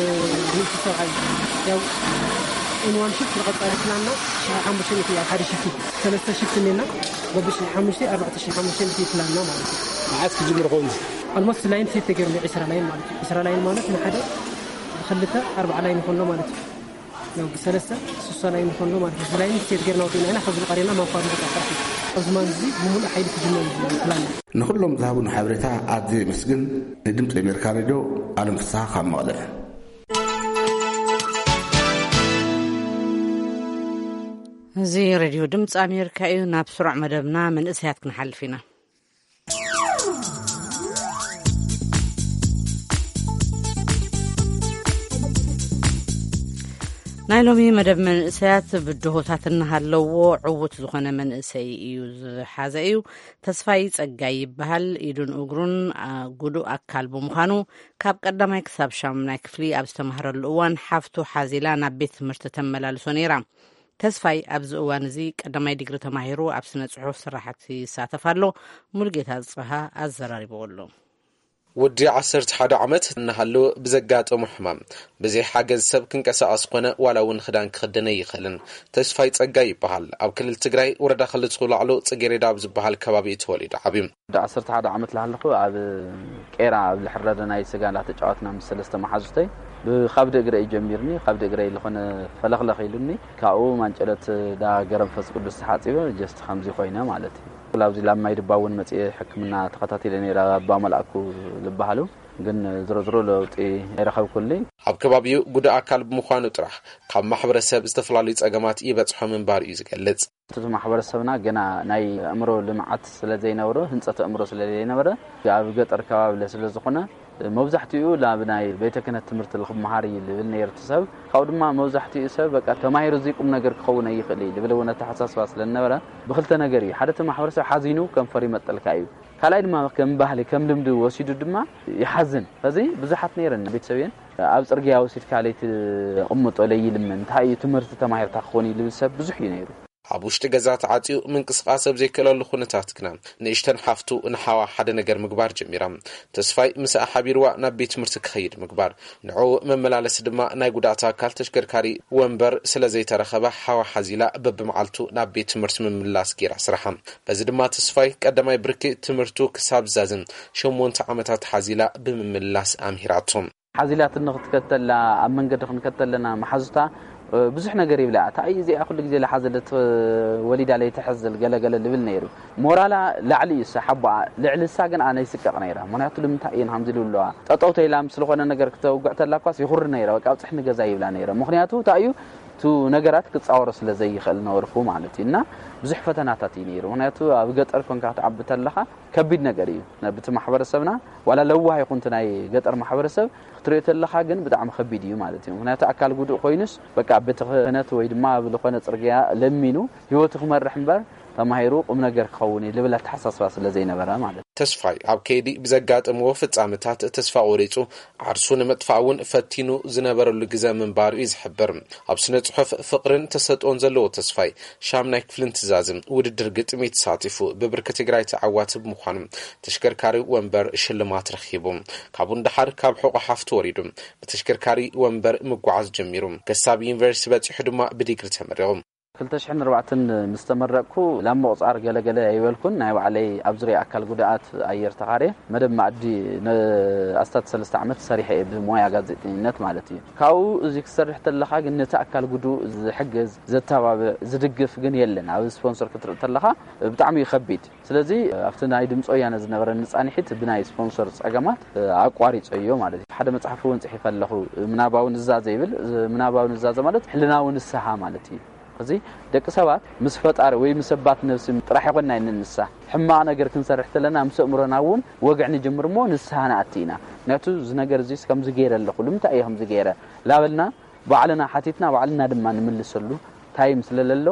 ሚእቲ ሰብዓይ ያው ኢን ዋን ሽፍት ንቐጻሊ ፕላንና ሽሕ ሓሙሽተ ሚእቲ ኣብ ሓደ ሽፍቲ ሰለስተ ሽፍቲ እኒና በብሽሕ ሓሙሽተ ኣርባዕተ ሽሕ ሓሙሽተ ሚእቲ ፕላንና ማለት እዩ። መዓስ ክጅምር ኸውን? ኦልሞስት ላይን ሴት ተገይሩ ዒስራ ላይን ማለት እዩ። ዒስራ ላይን ማለት ንሓደ ብክልተ ኣርባዓ ላይን ይኾን ኣሎ ማለት እዩ። ያው ብሰለስተ ሱሳ ላይን ይኾን ኣሎ ማለት እዩ። እዚ ላይን ሴት ገይርና ወዲእና ኢና። ከዚ ቀሪና ማንኳር ንቐጻ ፓርቲ ኣብዚ ማን እዚ ብምሉእ ሓይሊ ክጅመር እዩ ፕላን። ንኹሎም ዝሃቡን ሓበሬታ ኣዝየ የመስግን። ንድምፂ ኣሜሪካ ሬድዮ ኣለም ፍስሃ ካብ መቐለ። እዚ ሬድዮ ድምፂ ኣሜሪካ እዩ። ናብ ስሩዕ መደብና መንእሰያት ክንሓልፍ ኢና። ናይ ሎሚ መደብ መንእሰያት ብድሆታት እናሃለዎ ዕዉት ዝኾነ መንእሰይ እዩ ዝሓዘ እዩ። ተስፋይ ጸጋይ ይበሃል። ኢዱን እግሩን፣ አ፣ ጉዱእ ኣካል ብምዃኑ ካብ ቀዳማይ ክሳብ ሻምናይ ክፍሊ ኣብ ዝተማህረሉ እዋን ሓፍቱ ሓዚላ ናብ ቤት ትምህርቲ ተመላልሶ ነይራ። ተስፋይ ኣብዚ እዋን እዚ ቀዳማይ ዲግሪ ተማሂሩ ኣብ ስነ ጽሑፍ ስራሕቲ ይሳተፍ ኣሎ። ሙሉጌታ ጽብሃ ኣዘራሪብዎ ኣሎ። ወዲ ዓሰርተ ሓደ ዓመት እናሃለወ ብዘጋጠሞ ሕማም ብዘይ ሓገዝ ሰብ ክንቀሳቐስ ኮነ ዋላ እውን ክዳን ክኽደን ኣይኽእልን። ተስፋይ ጸጋይ ይበሃል። ኣብ ክልል ትግራይ ወረዳ ክልተ ላዕሎ ጽጌሬዳ ኣብ ዝበሃል ከባቢ እዩ ተወሊዱ ዓብዩ። ወዲ ዓሰርተ ሓደ ዓመት ለሃለኹ ኣብ ቄራ ኣብ ልሕረደ ናይ ስጋ እንዳተጫወትና ምስ ሰለስተ መሓዙተይ ብኻብዲ እግረ እዩ ጀሚርኒ። ካብዲ እግረ ዝኾነ ፈለኽለኽ ኢሉኒ። ካብኡ ማንጨለት ዳ ገረንፈስ ቅዱስ ተሓፂበ ጀስት ከምዚ ኮይነ ማለት እዩ። ኣብዚ ላብ ማይ ድባ እውን መፅኤ ሕክምና ተኸታቲለ ነይረ ኣባ መልኣኩ ዝበሃሉ። ግን ዝሮ ዝሮ ለውጢ ኣይረኸብኩልኝ። ኣብ ከባቢኡ ጉዳእ ኣካል ብምዃኑ ጥራሕ ካብ ማሕበረሰብ ዝተፈላለዩ ጸገማት ይበጽሖ ምንባር እዩ ዝገልጽ። እቲ ማሕበረሰብና ገና ናይ ኣእምሮ ልምዓት ስለ ዘይነበሮ፣ ህንጸት ኣእምሮ ስለ ዘይነበረ፣ ኣብ ገጠር ከባቢ ስለ ዝኾነ፣ መብዛሕትኡ ናብ ናይ ቤተ ክህነት ትምህርቲ ክመሃር እዩ ልብል ነይሩ እቲ ሰብ። ካብኡ ድማ መብዛሕትኡ ሰብ በቃ ተማሂሩ እዚ ቁም ነገር ክኸውን ኣይኽእል እዩ ልብል እውን ኣተሓሳስባ ስለ ዝነበረ፣ ብክልተ ነገር እዩ። ሓደ እቲ ማሕበረሰብ ሓዚኑ ከንፈር ይመጠልካ እዩ። ካልኣይ ድማ ከም ባህሊ ከም ልምዲ ወሲዱ ድማ ይሓዝን። እዚ ብዙሓት ነይረን ቤተሰብየን ኣብ ጽርግያ ወሲድካ ለይቲ ኣቕምጦ ለይልምን እንታይ እዩ ትምህርቲ ተማሂርካ ክኾን እዩ ልብል ሰብ ብዙሕ እዩ ነይሩ። ኣብ ውሽጢ ገዛ ተዓጽዩ ምንቅስቓስ ኣብ ዘይክእለሉ ኩነታት ግና ንእሽተን ሓፍቱ ንሓዋ ሓደ ነገር ምግባር ጀሚራ። ተስፋይ ምስኣ ሓቢርዋ ናብ ቤት ትምህርቲ ክኸይድ ምግባር፣ ንዕኡ መመላለሲ ድማ ናይ ጉዳእቲ ኣካል ተሽከርካሪ ወንበር ስለ ዘይተረኸበ ሓዋ ሓዚላ በብመዓልቱ ናብ ቤት ትምህርቲ ምምላስ ገይራ ስራሓ። በዚ ድማ ተስፋይ ቀዳማይ ብርኪ ትምህርቱ ክሳብ ዛዝም ሸሞንተ ዓመታት ሓዚላ ብምምላስ ኣምሂራቶ። ሓዚላት ንክትከተላ ኣብ መንገዲ ክንከተለና መሓዙታ ብዙሕ ነገር ይብላ። እታ እዩ እዚኣ ኩሉ ግዜ ለሓዘለት ወሊዳ ለይትሕዝል ገለገለ ልብል ነይሩ። ሞራላ ላዕሊ እዩ ሓቦኣ ልዕሊ እሳ ግን ኣነ ይስቀቕ ነይረ። ምክንያቱ ልምንታይ እየን ከምዚ ልብለዋ ጠጠው ተይላ ምስ ዝኾነ ነገር ክተውግዕ ተላ እኳስ ይኹሪ ነይረ። በቃ ኣብፅሕ ንገዛ ይብላ ነይረ። ምክንያቱ እንታይ እዩ እቲ ነገራት ክፃወሮ ስለ ዘይኽእል ነበርኩ ማለት እዩ። እና ብዙሕ ፈተናታት እዩ ነይሩ። ምክንያቱ ኣብ ገጠር ኮንካ ክትዓቢ ተለኻ ከቢድ ነገር እዩ። ነብቲ ማሕበረሰብና ዋላ ለዋህ ይኹን እቲ ናይ ገጠር ማሕበረሰብ ክትሪኦ ተለኻ ግን ብጣዕሚ ከቢድ እዩ ማለት እዩ። ምክንያቱ ኣካል ጉዱእ ኮይኑስ በቃ ቤተ ክህነት ወይ ድማ ኣብ ዝኾነ ጽርግያ ለሚኑ ህይወቱ ክመርሕ እምበር ተማሂሩ ቁም ነገር ክኸውን እዩ ልብል ኣተሓሳስባ ስለ ዘይነበረ ማለት እዩ። ተስፋይ ኣብ ከይዲ ብዘጋጠምዎ ፍጻመታት ተስፋ ቆሪጹ ዓርሱ ንምጥፋእ እውን ፈቲኑ ዝነበረሉ ግዘ ምንባሩ እዩ ዝሕብር። ኣብ ስነ ጽሑፍ ፍቕርን ተሰጥኦን ዘለዎ ተስፋይ ሻምናይ ክፍልን ትዛዝም ውድድር ግጥሚ ተሳቲፉ ብብርኪ ትግራይ ተዓዋቲ ብምዃኑ ተሽከርካሪ ወንበር ሽልማት ረኺቡ። ካብኡ ንደሓር ካብ ሕቖ ሓፍቱ ወሪዱ ብተሽከርካሪ ወንበር ምጓዓዝ ጀሚሩ። ከሳብ ዩኒቨርሲቲ በጺሑ ድማ ብዲግሪ ተመሪቑ። ክልተ ሽሕን ኣርባዕተን ምስ ተመረቕኩ ላብ ምቑጻር ገለገለ ኣይበልኩን። ናይ ባዕለይ ኣብ ዙርያ ኣካል ጉድኣት ኣየር ተኻርየ መደብ ማእዲ ንኣስታት ሰለስተ ዓመት ሰሪሐ እየ ብሞያ ጋዜጠኝነት ማለት እዩ። ካብኡ እዚ ክሰርሕ ተለኻ ግን ነቲ ኣካል ጉዱእ ዝሕግዝ፣ ዘተባብዕ፣ ዝድግፍ ግን የለን። ኣብ ስፖንሰር ክትርኢ ተለኻ ብጣዕሚ እዩ ከቢድ። ስለዚ ኣብቲ ናይ ድምፂ ወያነ ዝነበረኒ ፃንሒት ብናይ ስፖንሰር ፀገማት ኣቋሪፀዮ ማለት እዩ። ሓደ መፅሓፍ እውን ፅሒፈ ኣለኹ። ምናባዊ ንዛዘ ይብል። ምናባዊ ንዛዘ ማለት ሕልናዊ ንስሓ ማለት እዩ። እዚ ደቂ ሰባት ምስ ፈጣሪ ወይ ምስ ሰባት ነብሲ ጥራሕ ይኮንና ንንሳ ሕማቕ ነገር ክንሰርሕ ተለና ምስ ኣእምሮና እውን ወግዕ ንጅምር እሞ ንስሓ ንኣቲ ኢና። ምክንያቱ እዚ ነገር እዚስ ከምዚ ገይረ ኣለኹ፣ ልምንታይ እየ ከምዚ ገይረ ላበልና ባዕልና ሓቲትና ባዕልና ድማ ንምልሰሉ ታይም ስለ ለሎ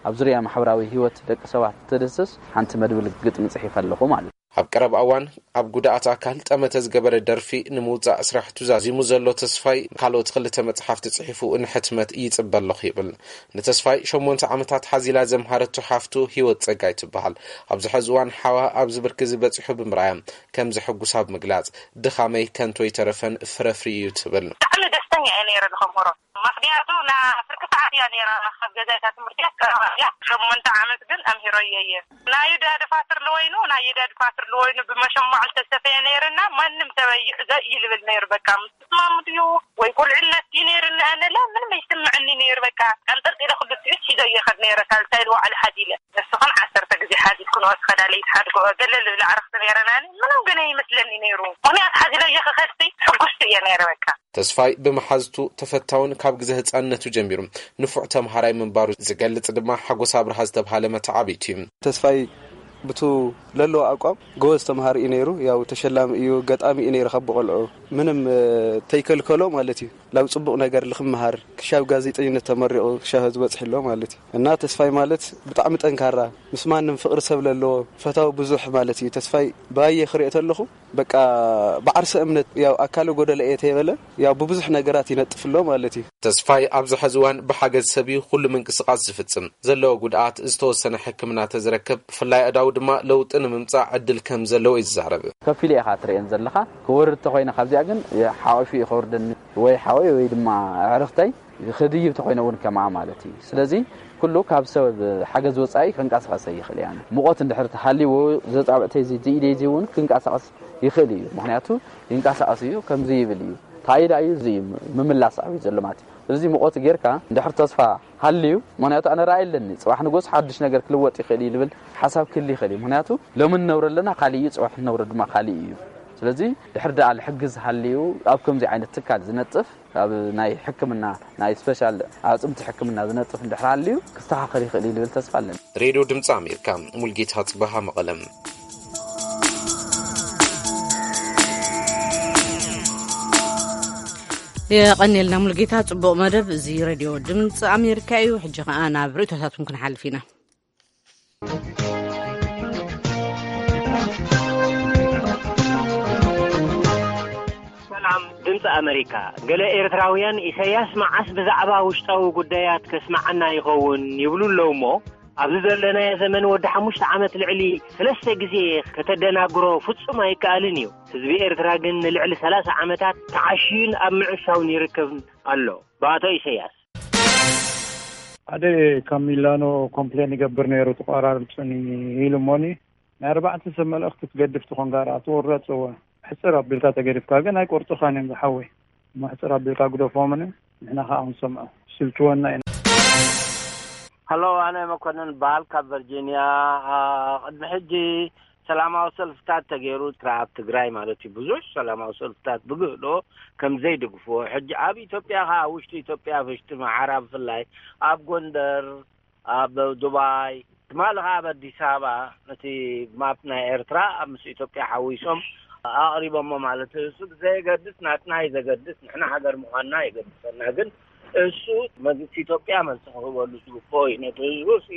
ኣብ ዙርያ ማሕበራዊ ህይወት ደቂ ሰባት ተደስስ ሓንቲ መድብል ግጥሚ ጽሒፈ ኣለኹ ማለት እዩ። ኣብ ቀረባ እዋን ኣብ ጉዳኣት ኣካል ጠመተ ዝገበረ ደርፊ ንምውጻእ ስራሕቱ ዛዚሙ ዘሎ ተስፋይ ካልኦት ክልተ መጽሓፍቲ ጽሒፉ ንሕትመት ይጽበ ኣለኹ ይብል። ንተስፋይ ሸሞንተ ዓመታት ሓዚላ ዘምሃረቱ ሓፍቱ ህይወት ጸጋይ ትበሃል። ኣብዚ ሕዚ እዋን ሓዋ ኣብዚ ብርኪ ዝበጺሑ ብምርኣያ ከም ዘሐጉሳ ብምግላጽ፣ "ድኻመይ ከንቶ ይተረፈን ፍረፍሪ እዩ" ትብል። ብጣዕሚ ደስተኛ እየ ነይረ ንኸምህሮ። ምኽንያቱ ና ፍርቂ ሰዓት እያ ነይራ ካብ ገዛ እታ ትምህርቲ እያ ቀረባ እያ። ሸሞንተ ዓመት ግን ኣምሂረዮ እየ። ናይ ዳ ድፋትር ለወይኑ፣ ናይ ዳ ድፋትር ለወይኑ ብመሸማዕ ዝተሰፈየ ነይርና ማንም ሰብ ኣይዕዘ እዩ ልብል ነይሩ። በቃ ምስ ትስማሙ ድዩ ወይ ቁልዕነት እዩ ነይርና ኣነላ ምንም ኣይስምዕኒ ነይሩ። በቃ ቀንጠልጢለ ክልቲኡ ሒዘ እየ ከድ ነይረ ሳልሳይ ልዋዕሊ ሓዚለ። ንስኽን ዓሰርተ ግዜ ሓዚልክን ወስኸዳ ለይትሓድግኦ ገለ ልብል ኣዕርኽቲ ነይረናኒ ምንም ግን ኣይመስለኒ ነይሩ። ምኽንያት ሓዚለ እየ ክኸድሲ ሕጉስቲ እየ ነይረ በቃ። ተስፋይ ብመሓዝቱ ተፈታውን ካብ ግዜ ህጻንነቱ ጀሚሩ ንፉዕ ተምሃራይ ምንባሩ ዝገልጽ ድማ ሓጎስ ኣብርሃ ዝተብሃለ መተዓብይቲ እዩ። ተስፋይ ብቱ ለለዎ ኣቋም ጎበዝ ተምሃሪ እዩ ነይሩ። ያው ተሸላሚ እዩ፣ ገጣሚ እዩ ነይሩ ካብ ብቆልዑ ምንም እ፣ ተይከልከሎ ማለት እዩ። ላብ ጽቡቕ ነገር ልክምሃር ክሻብ ጋዜጠኝነት ተመሪቑ ክሻብ ህዝቢ በጽሒ ኣሎ ማለት እዩ። እና ተስፋይ ማለት ብጣዕሚ ጠንካራ ምስ ማንም ፍቕሪ ሰብ ለለዎ ፈታዊ ብዙሕ ማለት እዩ። ተስፋይ ብኣየ ክሪኦ ተለኹ በቃ ብዓርሰ እምነት ያው ኣካለ ጎደለ እየ ተይበለ ያው ብብዙሕ ነገራት ይነጥፍ ኣሎ ማለት እዩ። ተስፋይ ኣብዚ ሕዚ እዋን ብሓገዝ ሰብ እዩ ኩሉ ምንቅስቓስ ዝፍጽም። ዘለዎ ጉድኣት ዝተወሰነ ሕክምና ተዝረክብ ብፍላይ ኣእዳው ድማ ለውጢ ንምምጻእ ዕድል ከም ዘለዎ እዩ ዝዛረብ። ከፊሉ ኢኻ ትርእየን ዘለኻ። ክወርድ ተኾይነ ካብዚኣ ግን ሓወፊ እዩ ከወርደኒ ወይ ሓወይ ወይ ድማ ኣዕርኽተይ ክድይብ ተኾይነ እውን ከምኣ ማለት እዩ። ስለዚ ኩሉ ካብ ሰብ ሓገዝ ወጻኢ ክንቀሳቐስ ኣይኽእል እያ። ሙቐት እንድሕር ተሃልይዎ ዘጻብዕተይ እዚ ኢደይ እዚ እውን ክንቀሳቐስ ይኽእል እዩ። ምኽንያቱ ይንቀሳቐስ እዩ፣ ከምዚ ይብል እዩ። ታይዳ እዩ እዚ እዩ ምምላስ ኣብዩ ዘሎ ማለት እዩ። ስለዚ ሙቐት ጌርካ እንድሕር ተስፋ ሃልዩ፣ ምኽንያቱ ኣነ ራእይ ኣለኒ፣ ጽባሕ ንጎስ ሓድሽ ነገር ክልወጥ ይኽእል እዩ ልብል ሓሳብ ክህል ይኽእል እዩ። ምኽንያቱ ሎሚ ንነብሮ ኣለና ካልእ እዩ፣ ጽባሕ ንነብሮ ድማ ካልእ እዩ። ስለዚ ድሕር ደኣ ልሕግዝ ሃልዩ ኣብ ከምዚ ዓይነት ትካል ዝነጥፍ ኣብ ናይ ሕክምና ናይ ስፔሻል ኣዕጽምቲ ሕክምና ዝነጥፍ እንድሕር ሃልዩ ክስተኻኸል ይኽእል እዩ ልብል ተስፋ ኣለኒ። ሬድዮ ድምፂ ኣሜሪካ፣ ሙልጌታ ጽበሃ፣ መቐለም። የቐንየልና ሙልጌታ፣ ጽቡቕ መደብ። እዚ ሬድዮ ድምፂ ኣሜሪካ እዩ። ሕጂ ኸኣ ናብ ርእይቶታትኩም ክንሓልፍ ኢና። ሰላም ድምፂ ኣመሪካ። ገለ ኤርትራውያን ኢሳያስ መዓስ ብዛዕባ ውሽጣዊ ጉዳያት ከስምዓና ይኸውን ይብሉ ኣለዉ እሞ፣ ኣብዚ ዘለናዮ ዘመን ወዲ ሓሙሽተ ዓመት ልዕሊ ሰለስተ ግዜ ከተደናግሮ ፍጹም ኣይከኣልን እዩ። ህዝቢ ኤርትራ ግን ንልዕሊ ሰላሳ ዓመታት ተዓሽዩን ኣብ ምዕሻውን ይርከብ ኣሎ። ብኣቶ ኢሳያስ። ሓደ ካብ ሚላኖ ኮምፕሌን ይገብር ነይሩ፣ ተቋራርጹኒ ኢሉ እሞኒ። ናይ ኣርባዕተ ሰብ መልእኽቲ ትገድፍ ትኾን ጋር ኣትወረጽዎ። ሕጽር ኣቢልካ ተገዲፍካ ግን ኣይቆርጹኻን እዮም ዝሓወይ። እሞ ሕጽር ኣቢልካ ግደፎምን ንሕና ኸኣ ክንሰምዖ ስልችወና ኢና። ሃሎ፣ ኣነ መኮንን በሃል ካብ ቨርጂንያ። ኣ፣ ቅድሚ ሕጂ ሰላማዊ ሰልፍታት ተገይሩ፣ ኣብ ትግራይ ማለት እዩ፣ ብዙሕ ሰላማዊ ሰልፍታት ብግህዶ ከም ዘይድግፍዎ፣ ሕጂ ኣብ ኢትዮጵያ ኸዓ፣ ኣብ ውሽጢ ኢትዮጵያ፣ ኣብ ውሽጢ መዓራ ብፍላይ፣ ኣብ ጎንደር፣ ኣብ ዱባይ፣ ትማሊ ኸዓ ኣብ ኣዲስ ኣበባ፣ ነቲ ማፕ ናይ ኤርትራ ኣብ ምስ ኢትዮጵያ ሓዊሶም ኣቕሪቦሞ ማለት እዩ። እሱ ብዘየገድስ፣ ናትና እዩ ዘገድስ፣ ንሕና ሃገር ምዃንና የገድሰና። ግን እሱ መንግስቲ ኢትዮጵያ መልሲ ክህበሉ ዝግብኦ እዩ። ነቲ ህዝቡ ሲ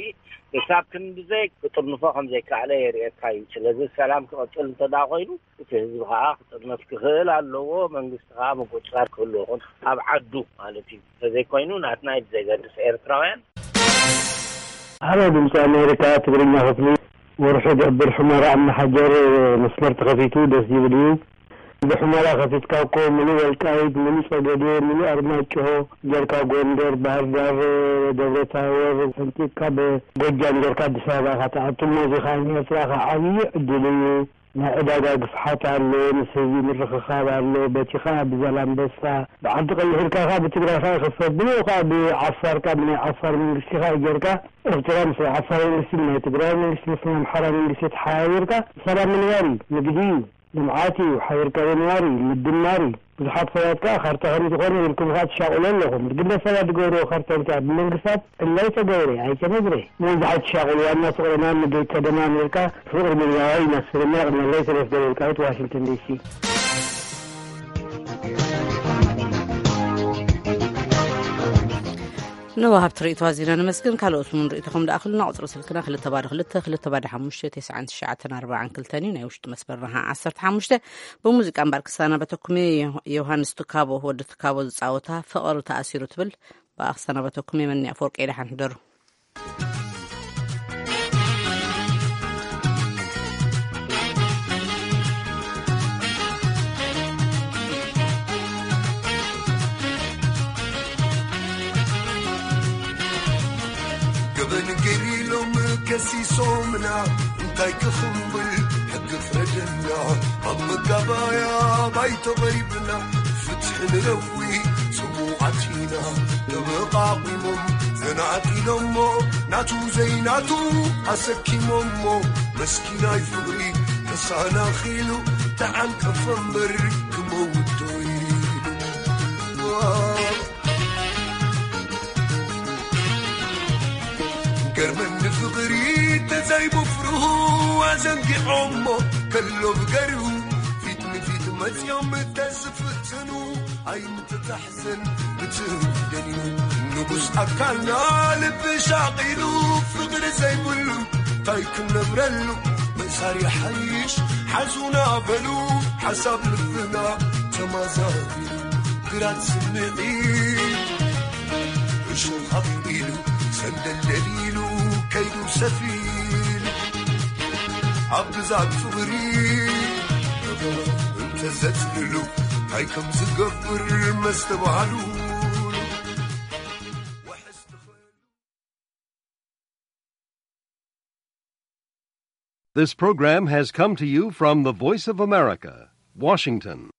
ክሳብ ክንድዘይ ክጥርንፎ ከም ዘይከኣለ የርእየካ እዩ። ስለዚ ሰላም ክቕጽል እንተ ደኣ ኮይኑ፣ እቲ ህዝቢ ከኣ ክጥርነፍ ክኽእል ኣለዎ። መንግስቲ ከኣ ምቁጽጻር ክህልዎ ይኹን ኣብ ዓዱ ማለት እዩ። እንተዘይኮይኑ ናትና እዩ ብዘይገድስ ኤርትራውያን። ሃሎ ድምፂ ኣሜሪካ ትግርኛ ክፍሊ፣ ውርሑ ደብር ሑመራ ኣብ መሓጀር መስመር ተኸፊቱ ደስ ዝብል እዩ። ብሑመራ ከፊትካ እኮ ምሉእ ወልቃይት፣ ምሉእ ጸገዴ፣ ምሉእ ኣርማጭሆ ጌርካ፣ ጎንደር፣ ባህር ዳር፣ ደብረ ታቦር ሰንጢቕካ ብጎጃም ጌርካ ኣዲስ ኣበባ ኢኻ ትኣቱ። እሞ እዚ ኸኣ ንኤርትራ ኸኣ ዓብዪ ዕድል እዩ። ናይ ዕዳጋ ግፍሓት ኣሎ፣ ምስ ህዝቢ ምርኽኻብ ኣሎ። በቲ ኸኣ ብዛላምበሳ ብዓዲ ቀይሕ ኢልካ ኸኣ ብትግራይ ኸኣ ይኽፈት፣ ብኡ ኸኣ ብዓፋር ኸኣ ብናይ ዓፋር መንግስቲ ኸኣ ጌርካ ኤርትራ ምስ ናይ ዓፋር መንግስቲ፣ ብናይ ትግራይ መንግስቲ፣ ምስ ናይ ኣምሓራ መንግስቲ ተሓባቢርካ ሰላም ምንባር እዩ፣ ንግዲ እዩ። ልምዓት እዩ፣ ሓቢርካ ምንባር እዩ፣ ምድማር እዩ። ብዙሓት ሰባት ከኣ ካርታ ከም ዝኾነ ኢልኩም ከኣ ትሻቕሉ ኣለኹም። ግለሰባት ዝገብርዎ ካርታ እንታይ ብመንግስታት እላይ ተገብረ ኣይተነግረ። ነዚ ኣይትሻቕሉ፣ ዋና ፍቕርና ንገይ ተደማሚርካ ፍቕሪ ምድራዊ ይመስል። እሞ የቕንየለይ። ሰለስተ ደቂቃዊት ዋሽንግተን ዲሲ። ንወሃብቲ ርእይቶ ኣዚና ነመስግን። ካልኦት እውን ርእይቶኹም ደኣኽሉና። ቁጽሪ ስልክና ክልተ ባዶ ክልተ፣ ክልተ ባዶ ሓሙሽተ፣ ተስዓን ትሽዓተን ኣርባዓን ክልተን እዩ። ናይ ውሽጢ መስመርና ኸዓ ዓሰርተ ሓሙሽተ። ብሙዚቃ እምበር ክሰናበተኩም እየ። ዮሃንስ ትካቦ፣ ወዲ ትካቦ ዝጻወታ ፍቕሪ ተኣሲሩ ትብል ብኣ ክሰናበተኩም እየ። መኒ ኣፈወርቂ ደሓን ሕደሩ። ገበን ገይሩ ኢሎም ከሲሶምና፣ እንታይ ክኽንብል ሕጊ ፍረደና። ኣብ መጋባያ ባይቶ ቀሪብና፣ ፍትሒ ንረዊ ጽቡቓት ኢና። ተመቓቒሞም ዘናጢሎሞ፣ ናቱ ዘይናቱ ኣሰኪሞሞ፣ መስኪናይ ፍቕሪ ተሰናኺሉ፣ ተዓንቀፈ እምበር ክመውት ዶ ኢሉ። ገርመኒ ፍቕሪ ተዛይቡ ፍርሁ ኣዘንጊዖሞ፣ ከሎ ብገርሁ ፊት ንፊት መጽዮም ተዝፍትኑ፣ ኣይምትታሕዘን ብትደልዩ ንጉስ ኣካልና ልቢ ሻቒሉ፣ ፍቕሪ ዘይብሉ ታይ ክንነብረሉ? ምእሳር ይሓይሽ ሓዙና በሉ፣ ሓሳብ ልብና ተማዛቢሉ፣ ግራት ስምዒት እሾኽ ኣፍቂሉ፣ ሰንደልደል ኢሉ ከይዱ ሰፊሉ። ኣብ ግዛት ፍቕሪ እንተዘጽልሉ እንታይ ከም ዝገብር መስተባሃሉ። This program has come to you from the Voice of America, Washington.